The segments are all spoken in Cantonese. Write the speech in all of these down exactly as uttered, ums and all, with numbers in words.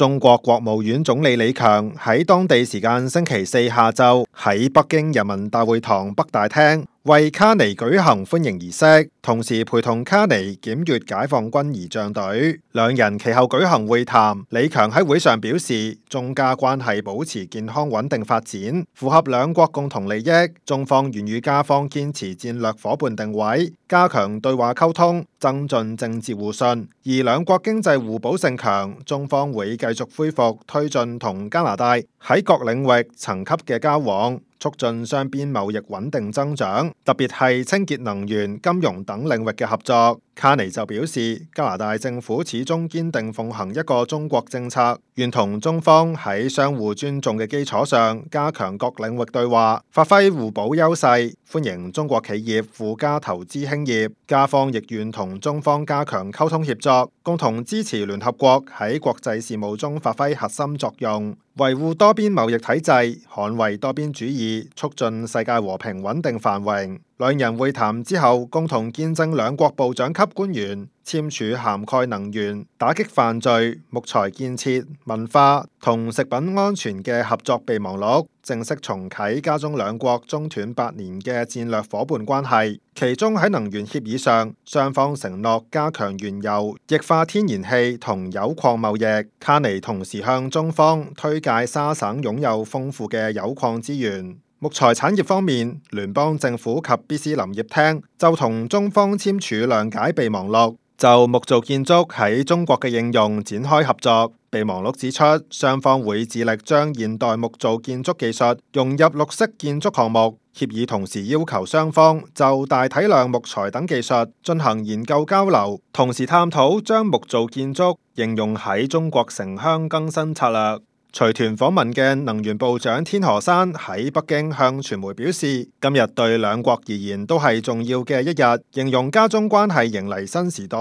中國國務院總理李強喺當地時間星期四下晝喺北京人民大會堂北大廳為卡尼舉行歡迎儀式，同時陪同卡尼檢閱解放軍儀仗隊。兩人其後舉行會談。李強喺會上表示，中加關係保持健康穩定發展，符合兩國共同利益。中方願與加方堅持戰略夥伴定位，加強對話溝通，增進政治互信。而兩國經濟互補性強，中方會繼續恢復推進同加拿大喺各領域層級嘅交往，促進雙邊貿易穩定增長，特別係清潔能源、金融等領域嘅合作。卡尼就表示，加拿大政府始終堅定奉行一個中國政策，願同中方喺相互尊重嘅基礎上，加強各領域對話，發揮互補優勢，歡迎中國企業赴加投資興業。加方亦願同中方加強溝通協作，共同支持聯合國喺國際事務中發揮核心作用，維護多邊貿易體制，捍衛多邊主義，促進世界和平穩定繁榮。兩人會談之後，共同見證兩國部長級官員簽署涵蓋能源、打擊犯罪、木材建設、文化同食品安全嘅合作備忘錄，正式重啟加中兩國中斷八年嘅戰略夥伴關係。其中喺能源協議上，雙方承諾加強原油、液化天然氣同鈾礦貿易。卡尼同時向中方推介沙省擁有豐富嘅鈾礦資源。木材產業方面，聯邦政府及必斯林業廳就同中方簽署諒解備忘錄，就木造建築喺中國嘅應用展開合作。備忘錄指出，雙方會致力將現代木造建築技術融入綠色建築項目。協議同時要求雙方就大體量木材等技術進行研究交流，同時探討將木造建築應用喺中國城鄉更新策略。隨團訪問嘅能源部長天河山喺北京向傳媒表示，今日對兩國而言都係重要嘅一日，形容加中關係迎嚟新時代。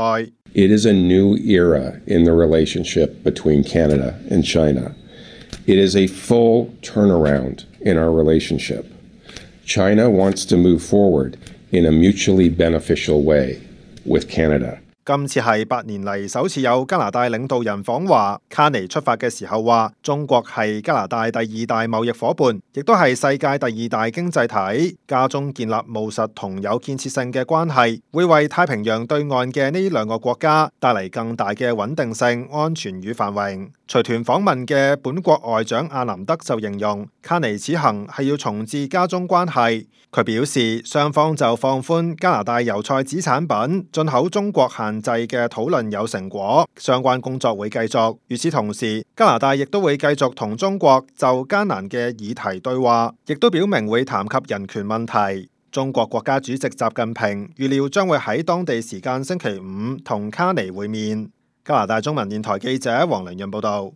It is a new era in the relationship between Canada and China. It is a full turnaround in our relationship. China wants to move forward in a mutually beneficial way with Canada. 今次係八年嚟首次有加拿大領導人訪華。卡尼出發嘅時候話，中國係加拿大第二大貿易夥伴，亦都係世界第二大經濟體。加中建立務實同有建設性嘅關係，會為太平洋對岸嘅呢兩個國家帶嚟更大嘅穩定性、安全與繁榮。隨團訪問嘅本國外長阿南德就形容，卡尼此行係要重置加中關係。佢表示，雙方就放寬加拿大油菜籽產品進口中國限制嘅討論有成果，相關工作會繼續。與此同時，加拿大亦都會繼續同中國就艱難嘅議題對話，亦都表明會談及人權問題。中國國家主席習近平預料將會喺當地時間星期五同卡尼會面。加拿大中文電台記者黃良潤報道。